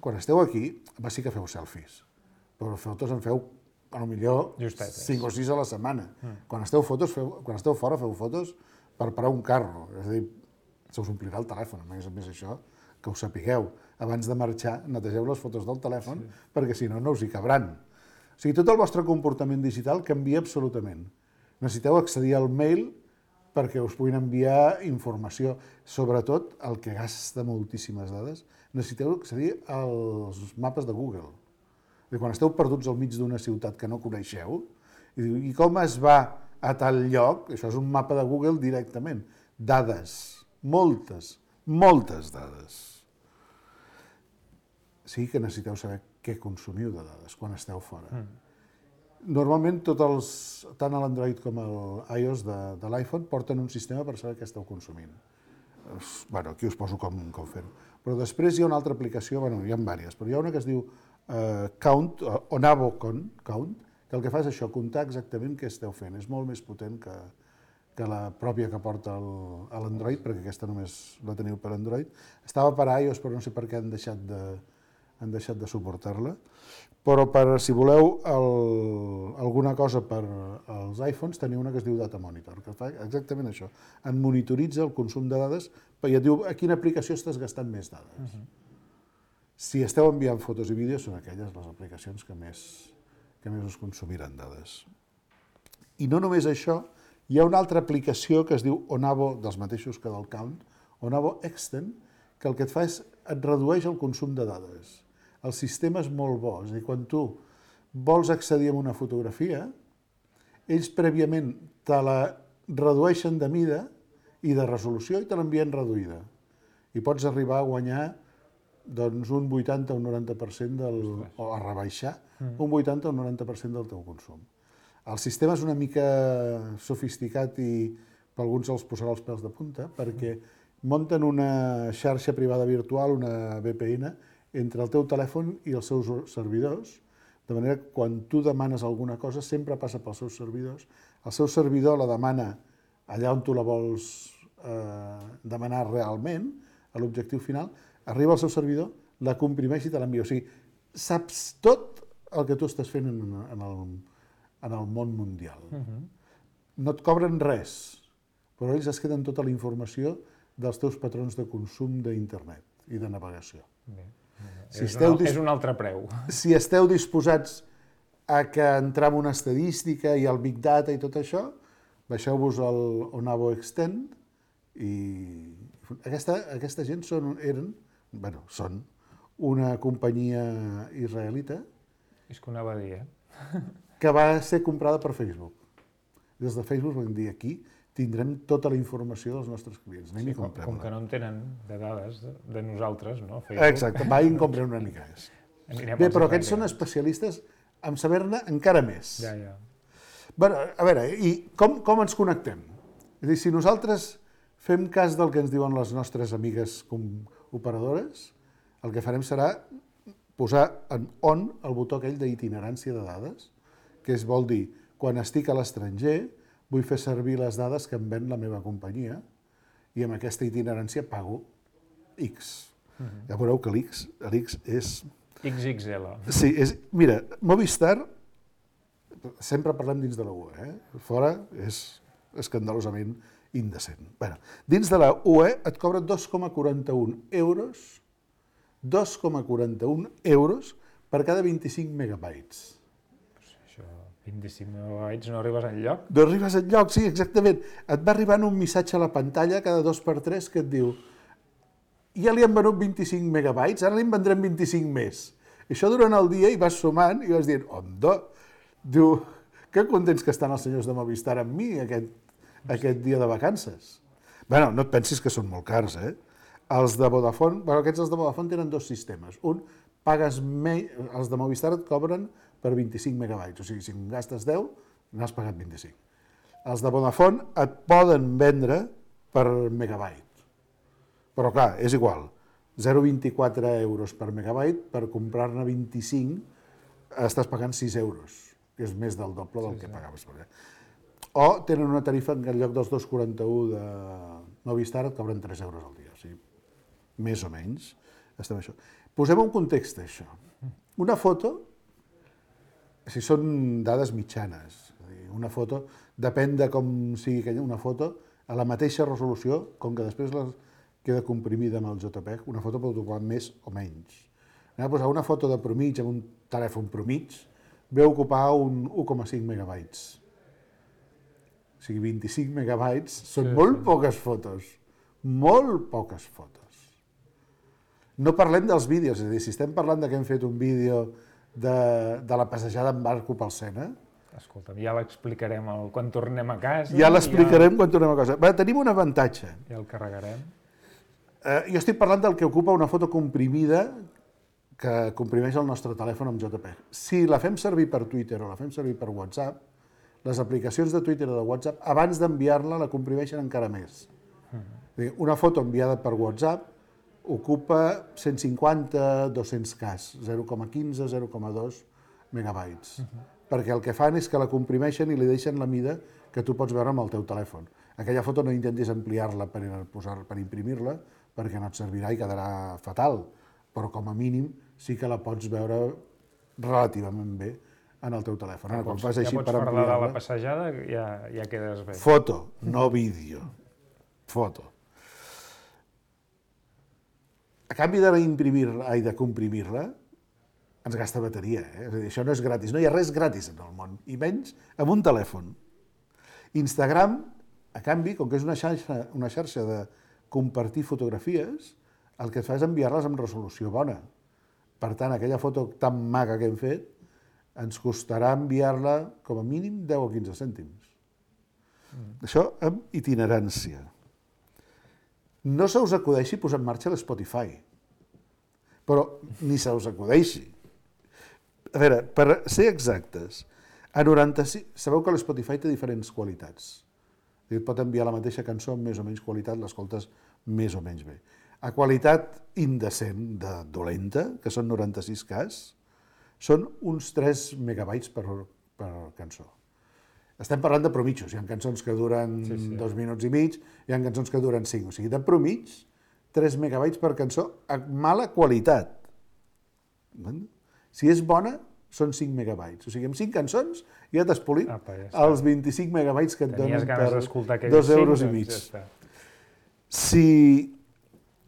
Quan esteu aquí, sí que feu selfies, però fotos en feu potser 5 o 6 a la setmana. Quan esteu fora feu fotos per parar un carro, és a dir, se us omplirà el telèfon, a més això, que ho sapigueu. Abans de marxar, netegeu les fotos del telèfon, perquè si no, no us hi cabran. O sigui, tot el vostre comportament digital canvia absolutament. Necessiteu accedir al mail perquè us puguin enviar informació. Sobretot, el que gasta moltíssimes dades, necessiteu accedir als mapes de Google. Quan esteu perduts al mig d'una ciutat que no coneixeu, i com es va a tal lloc, això és un mapa de Google directament. Dades, moltes dades. Sí que necessiteu saber què consumiu de dades quan esteu fora. Normalment, tant l'Android com l'iOS de l'iPhone porten un sistema per saber què esteu consumint. Aquí us poso com fer-ho. Però després hi ha una altra aplicació, hi ha diverses, però hi ha una que es diu Count, o Navo Count, que el que fa és això, comptar exactament què esteu fent. És molt més potent que la pròpia que porta l'Android, perquè aquesta només la teniu per Android. Estava per iOS, però no sé per què han deixat de suportar-la. Però si voleu alguna cosa per als iPhones, teniu una que es diu Data Monitor, que fa exactament això. En monitoritza el consum de dades i et diu a quina aplicació estàs gastant més dades. Si esteu enviant fotos i vídeos, són aquelles les aplicacions que més us consumiran dades. I no només això, hi ha una altra aplicació que es diu Onavo, dels mateixos que del Count, Onavo Extend, que el que et fa és et redueix el consum de dades. El sistema és molt bo, és a dir, quan tu vols accedir a una fotografia, ells prèviament te la redueixen de mida i de resolució i te l'envien reduïda. I pots arribar a guanyar un 80 o un 90% o a rebaixar un 80 o un 90% del teu consum. El sistema és una mica sofisticat i per alguns els posarà els pèls de punta perquè munten una xarxa privada virtual, una VPN, entre el teu telèfon i els seus servidors, de manera que quan tu demanes alguna cosa sempre passa pels seus servidors, el seu servidor la demana allà on tu la vols demanar realment, a l'objectiu final, arriba al seu servidor, la comprimeix i te l'envia. O sigui, saps tot el que tu estàs fent en el món mundial. No et cobren res, però ells es queden tota la informació dels teus patrons de consum d'internet i de navegació. és un altre preu. Si esteu disposats a que entrem una estadística i el Big Data i tot això, baixeu-vos al Onavo Extend i aquesta gent són una companyia israelita És que ho anava a dir, que va ser comprada per Facebook. Des de Facebook vam dir aquí tindrem tota la informació dels nostres clients. Anem i comprem-la. Com que no en tenen de dades de nosaltres, no? Facebook. Exacte, va i en comprem una mica més. Bé, però aquests són especialistes en saber-ne encara més. Ja. Bé, a veure, i com ens connectem? És a dir, si nosaltres fem cas del que ens diuen les nostres amigues operadores, el que farem serà posar en on el botó aquell d'itinerància de dades, que vol dir, quan estic a l'estranger, vull fer servir les dades que em ven la meva companyia i amb aquesta itinerància pago X. Ja veureu que l'X és... XXL. Sí, mira, Movistar, sempre parlem dins de la UE, fora és escandalosament indecent. Bé, dins de la UE et cobra 2,41 euros per cada 25 megabytes. 25 megabytes no arribes enlloc? No arribes enlloc, sí, exactament. Et va arribant un missatge a la pantalla cada 2x3 que et diu ja li han venut 25 megabytes, ara li en vendrem 25 més. I això durant el dia i vas sumant i vas dient, onda, diu, que contents que estan els senyors de Movistar amb mi aquest dia de vacances. Bé, no et pensis que són molt cars, Els de Vodafone, aquests de Vodafone tenen dos sistemes. Un, pagues menys, els de Movistar et cobren per 25 megabytes, o sigui, si en gastes 10, n'has pagat 25. Els de Vodafone et poden vendre per megabyte, però clar, és igual, 0,24 euros per megabyte, per comprar-ne 25 estàs pagant 6 euros, que és més del doble del que pagaves. O tenen una tarifa en lloc dels 2,41 de Movistar et cobren 3 euros al dia, o sigui, més o menys estem això. Posem un context a això. Una foto, si són dades mitjanes, una foto, depèn de com sigui una foto, a la mateixa resolució, com que després queda comprimida amb el JPEG, una foto pot ocupar més o menys. Anem a posar una foto de promig amb un telèfon promig, ve a ocupar un 1,5 megabytes. O sigui, 25 megabytes són molt poques fotos. Molt poques fotos. No parlem dels vídeos, és a dir, si estem parlant que hem fet un vídeo de la passejada en barco pel Sena... Escolta'm, ja l'explicarem quan tornem a casa. Ja l'explicarem quan tornem a casa. Tenim un avantatge. Ja el carregarem. Jo estic parlant del que ocupa una foto comprimida que comprimeix el nostre telèfon amb JPEG. Si la fem servir per Twitter o la fem servir per WhatsApp, les aplicacions de Twitter o de WhatsApp, abans d'enviar-la, la comprimeixen encara més. Una foto enviada per WhatsApp ocupa 150-200 Ks, 0,15, 0,2 megabytes. Perquè el que fan és que la comprimeixen i li deixen la mida que tu pots veure amb el teu telèfon. Aquella foto no intentis ampliar-la per imprimir-la, perquè no et servirà i quedarà fatal, però com a mínim sí que la pots veure relativament bé en el teu telèfon. Ja pots parlar de la passejada, ja quedes bé. Foto, no vídeo. Foto. A canvi de comprimir-la, ens gasta bateria. És a dir, això no és gratis. No hi ha res gratis en el món, i menys amb un telèfon. Instagram, a canvi, com que és una xarxa de compartir fotografies, el que fa és enviar-les amb resolució bona. Per tant, aquella foto tan maca que hem fet, ens costarà enviar-la com a mínim 10 o 15 cèntims. Això amb itinerància. No se us acudeixi posar en marxa l'Spotify, però ni se us acudeixi. A veure, per ser exactes, a 96... Sabeu que l'Spotify té diferents qualitats. Et pot enviar la mateixa cançó amb més o menys qualitat, l'escoltes més o menys bé. A qualitat indecent, de dolenta, que són 96 Ks, són uns 3 megabytes per cançó. Estem parlant de promitjos. Hi ha cançons que duren 2 minuts i mig, hi ha cançons que duren 5. O sigui, de promig, 3 megabytes per cançó a mala qualitat. Si és bona, són 5 megabytes. O sigui, amb 5 cançons ja t'has polit els 25 megabytes que et donen per 2 euros i mig.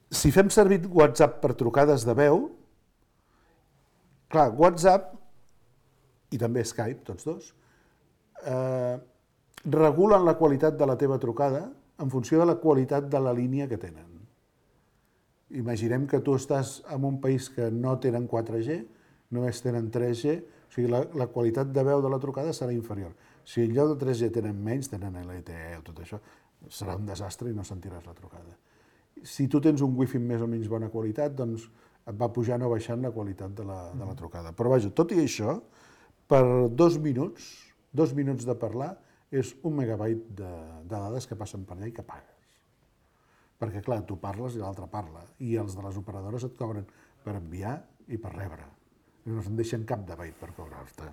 Si fem servir WhatsApp per trucades de veu, Clar, WhatsApp i també Skype, tots dos, regulen la qualitat de la teva trucada en funció de la qualitat de la línia que tenen. Imaginem que tu estàs en un país que no tenen 4G, només tenen 3G, o sigui, la qualitat de veu de la trucada serà inferior. Si en lloc de 3G tenen menys, tenen LTE o tot això, serà un desastre i no sentiràs la trucada. Si tu tens un wifi amb més o menys bona qualitat, doncs et va pujant o baixant la qualitat de la trucada. Però vaja, tot i això, per 2 minuts de parlar, és 1 megabyte de dades que passen per allà i que pagues. Perquè, clar, tu parles i l'altre parla, i els de les operadores et cobren per enviar i per rebre. I no se'n deixen cap de byte per cobrar-te.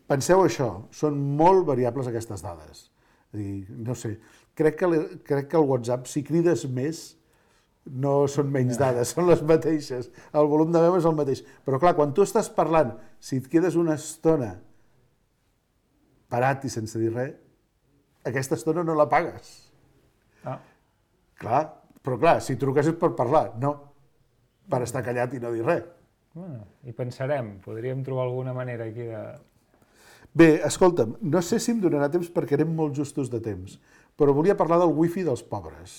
Penseu això, són molt variables aquestes dades. No sé, crec que el WhatsApp, si crides més, no són menys dades, són les mateixes. El volum de veu és el mateix. Però clar, quan tu estàs parlant, si et quedes una estona parat i sense dir res, aquesta estona no la pagues. Clar, però clar, si truques és per parlar, no per estar callat i no dir res. I pensarem, podríem trobar alguna manera aquí de... Bé, escolta'm, no sé si em donarà temps perquè anem molt justos de temps, però volia parlar del wifi dels pobres.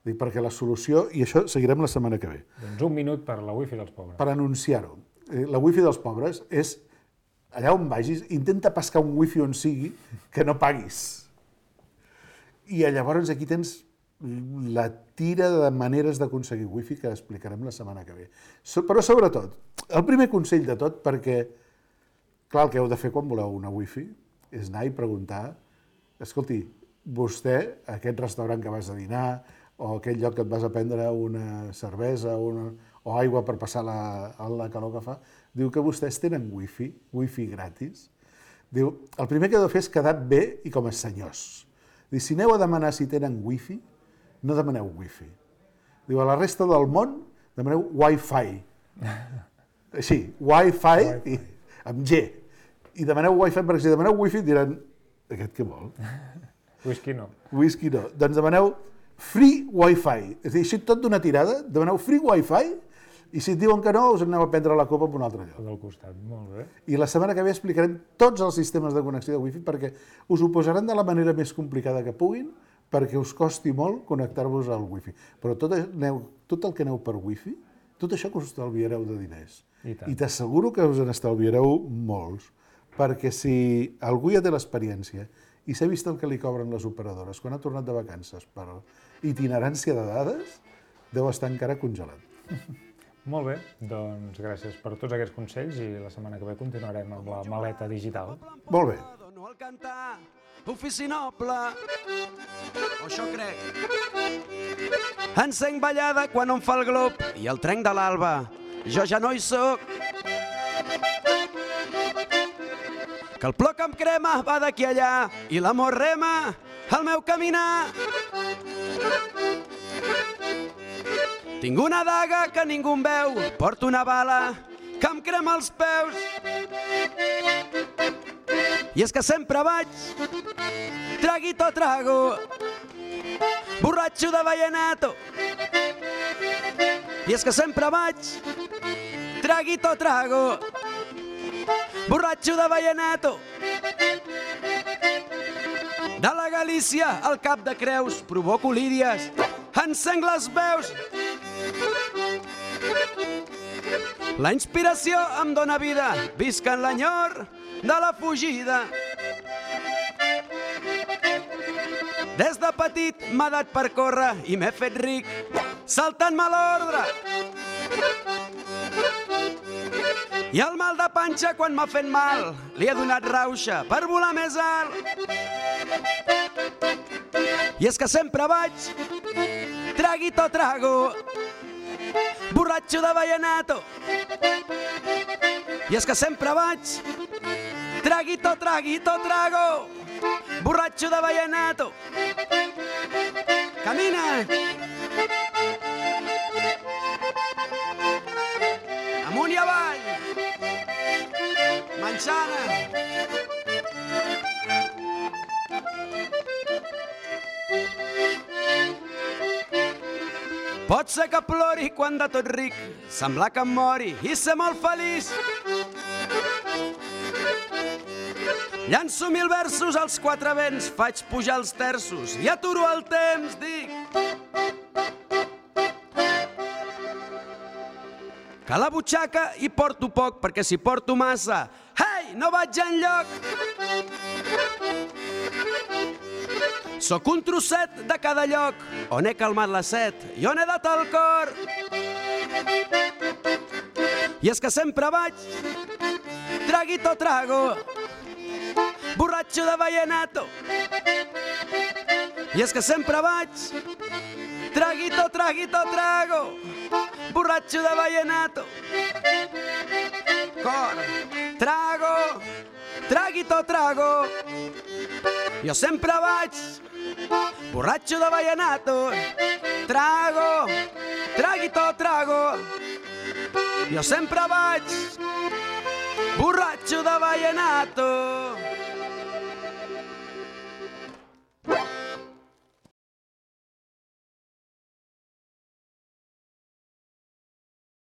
Perquè la solució, i això seguirem la setmana que ve. Doncs 1 minut per la wifi dels pobres. Per anunciar-ho. La wifi dels pobres és, allà on vagis, intenta pescar un wifi on sigui que no paguis. I llavors aquí tens la tira de maneres d'aconseguir wifi que explicarem la setmana que ve. Però sobretot, el primer consell de tot, perquè, clar, el que heu de fer quan voleu una wifi és anar i preguntar, escolti, vostè, aquest restaurant que vas a dinar, o aquell lloc que et vas a prendre una cervesa o aigua per passar la calor que fa, diu que vostès tenen wifi gratis. Diu, el primer que heu de fer és quedar bé i com a senyors. Diu, si aneu a demanar si tenen wifi, no demaneu wifi. Diu, a la resta del món demaneu Wi-Fi. Així, Wi-Fi amb G. I demaneu Wi-Fi, perquè si demaneu wifi diran, aquest què vol? Whisky no. Whisky no. Doncs demaneu free Wi-Fi. És a dir, així tot d'una tirada, demaneu free Wi-Fi i si et diuen que no, us aneu a prendre la copa en un altre lloc. Del costat, molt bé. I la setmana que ve explicarem tots els sistemes de connexió de Wi-Fi perquè us ho posaran de la manera més complicada que puguin perquè us costi molt connectar-vos al Wi-Fi. Però tot el que aneu per Wi-Fi, tot això que us estalviareu de diners. I t'asseguro que us n'estalviareu molts, perquè si algú ja té l'experiència i s'ha vist el que li cobren les operadores quan ha tornat de vacances per itinerància de dades, deu estar encara congelat. Molt bé, doncs gràcies per tots aquests consells i la setmana que ve continuarem amb la maleta digital. Molt bé. No al cantar, ofici noble, o això crec. Encenc ballada quan em fa el glop i el trenc de l'alba, jo ja no hi soc. Que el plor que em crema va d'aquí allà i l'amor rema el meu caminar. Tinc una daga que ningú em veu, porto una bala que em crema els peus. I és que sempre vaig, traguito trago, borratxo de vallenato. I és que sempre vaig, traguito trago, borratxo de vallenato. De la Galícia al Cap de Creus provoco líries, encenc les veus. La inspiració em dóna vida, visc en l'enyor de la fugida. Des de petit m'ha dat per córrer i m'he fet ric, saltant-me l'ordre. I el mal de panxa quan m'ha fet mal, li he donat rauxa per volar més alt. I és que sempre vaig, traguito trago, borratxo de vallenato. I és que sempre vaig, traguito trago, borratxo de vallenato. Camina! Amunt i avall! Manxana! Pot ser que plori quan de tot ric sembla que em mori i ser molt feliç. Llanço 1000 versos als 4 vents, faig pujar els terços i aturo el temps, dic que a la butxaca hi porto poc, perquè si porto massa, hey, no vaig enlloc. Sóc un trosset de cada lloc on he calmat la set i on he dat el cor. I és que sempre vaig traguito trago, borratxo de vallenato. I és que sempre vaig traguito trago, borratxo de vallenato. Cor, trago, traguito trago. Jo sempre vaig borratxo de vallenato. Trago, traguito trago. Jo sempre vaig borratxo de vallenato.